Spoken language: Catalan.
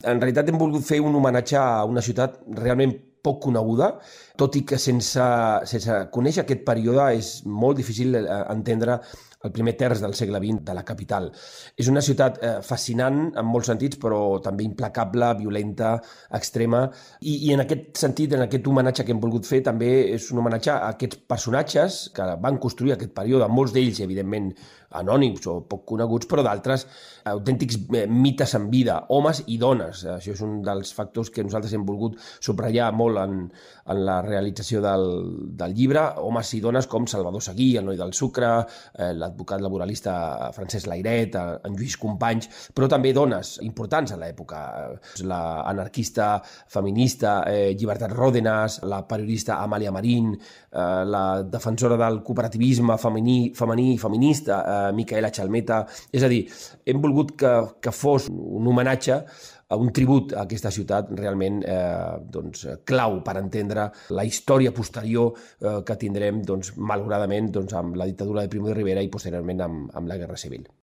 En realitat hem volgut fer un homenatge a una ciutat realment poc coneguda, tot i que sense conèixer aquest període és molt difícil entendre el primer terç del segle XX de la capital. És una ciutat fascinant en molts sentits, però també implacable, violenta, extrema, i en aquest sentit, en aquest homenatge que hem volgut fer, també és un homenatge a aquests personatges que van construir aquest període, molts d'ells, evidentment, anònims o poc coneguts, però d'altres autèntics mites en vida, homes i dones. Això és un dels factors que nosaltres hem volgut subratllar molt en la realització del llibre, homes i dones com Salvador Seguí, el noi del sucre, l'advocat laboralista Francesc Layret, en Lluís Companys, però també dones importants a l'època, l'anarquista feminista Llibertat Ròdenas, la periodista Amàlia Marín, la defensora del cooperativisme femení i feminista Micaela Chalmeta. És a dir, hem volgut que fos un homenatge, un tribut a aquesta ciutat realment clau per entendre la història posterior que tindrem, malauradament, amb la dictadura de Primo de Rivera i posteriorment amb la Guerra Civil.